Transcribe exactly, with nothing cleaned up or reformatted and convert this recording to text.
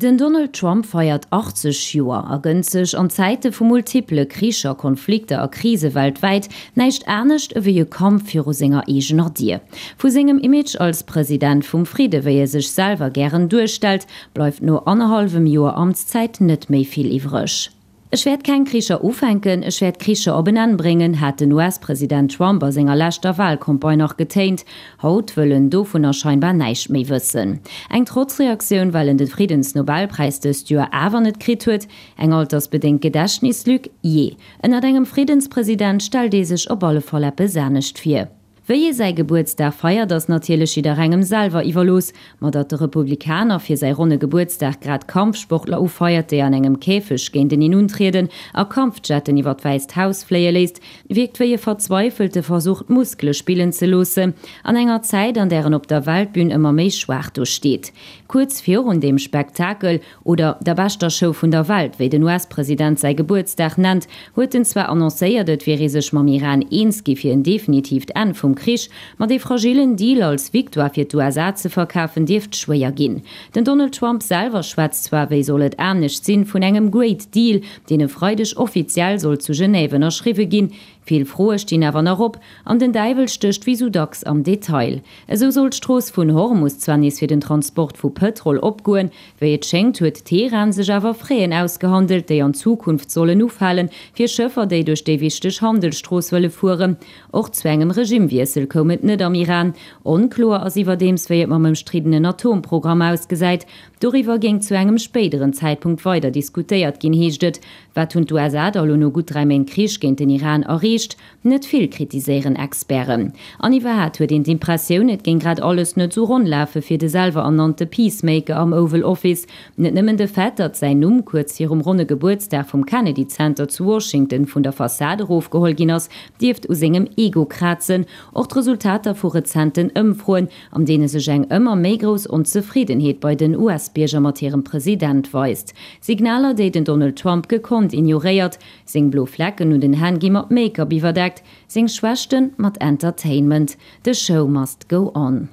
Den Donald Trump feiert achtzeg Joer a gënnt sech an Zäite vu multiple Kricher, Konflikter a Krise weltwäit näischt anescht ewéi e Kampf viru senger eegener Dier. Vu sengem Image als President vum Fridde, wéi e sech selwer gären duerstellt, bleift no annerhallwem Joer Amtszäit net méi vill iwwreg. Ech wäert keng Kricher ufänken, ech wäert Kricher op en Enn bréngen, hat den U S-President Trump a senger leschter Walcampagne nach getéint. Haut wëll en dovunner scheinbar näischt méi wëssen. Eng Trotzreaktioun, well en de Friddensnobelpräis dëst Joer awer net kritt huet? Eng altersbedéngt Gedächtnislück? Jee, ënnert engem Friddenspresident stellt ee sech op alle Fall eppes anescht vir. Wéi ee säi Gebuertsdag feiert, ass natierlech jidderengem selwer iwwerlooss. Ma datt de Republikaner fir säi ronne Gebuertsdag grad Kampfsportler ufeiert, déi an engem Käfeg géinteneen untrieden, a Kampfjetten iwwer d'Wäisst Haus fléie léisst, wierkt wéi e verzweifelte Versuch, d'Muskele spillen ze loossen, an enger Zäit, an där en op der Weltbün ëmmer méi schwaach do steet. Kuerz virun deem Spektakel, oder der beschter Show vun der Welt, wéi den U S-President säi Gebuertsdag nennt, huet en zwar annoncéiert, et wier ee sech mam Iran eens gi fir en definitiivt Enn vum Krich, ma dee fragillen Deal als Victoire fir d'U S A ze verkafen, dierft schwéier ginn. Den Donald Trump selwer schwätzt zwar, wéi soll et anescht sinn, vun engem Great Deal, deen e Freideg offiziell soll zu Genève ënnerschriwwe ginn. Vill Froe stinn awer nach op, an den Däiwel stécht wéi sou dacks am Detail. Esou soll d'Strooss vun Hormus zwar nees fir den Transport vu Pëtrol opgoen, wéi et schéngt huet Teheran sech awer Fräen ausgehandelt, déi an Zukunft sollen ufalen, fir Schëffer, déi duerch déi wichteg Handelsstrooss wëlle fueren. Och zu engem Regimewiessel koum et net am Iran. Onkloer ass iwwerdeems, wéi et mam ëmstriddenen Atomprogramm ausgesäit. Doriwwer géing zu engem spéideren Zäitpunkt weider diskutéiert ginn, heescht et. Wat hunn d'U S A da lo no gutt dräi Méint Krich géint den Iran erreecht? Net vill, kritiséieren Experten. An iwwerhaapt huet een d'Impressioun, et géing grad alles net sou ronn lafe fir de selwer ernannte Peacemaker am Oval Office. Net nëmmen de Fait, datt säin Numm kuerz virum ronne Gebuertsdag vum Kennedy Center zu Washington vun der Fassade erofgeholl ginn ass, dierft u sengem Ego krazen. Och d'Resultater vu rezenten Ëmfroen, an deene sech eng ëmmer méi grouss Onzefriddenheet bei den U S-Bierger mat hirem President weist. Signaler, déi den Donald Trump gekonnt ignoréiert. Seng blo Flecken un den Hänn gi mat Make-up iwwerdeckt, seng Schwächten mat Entertainment. The show must go on.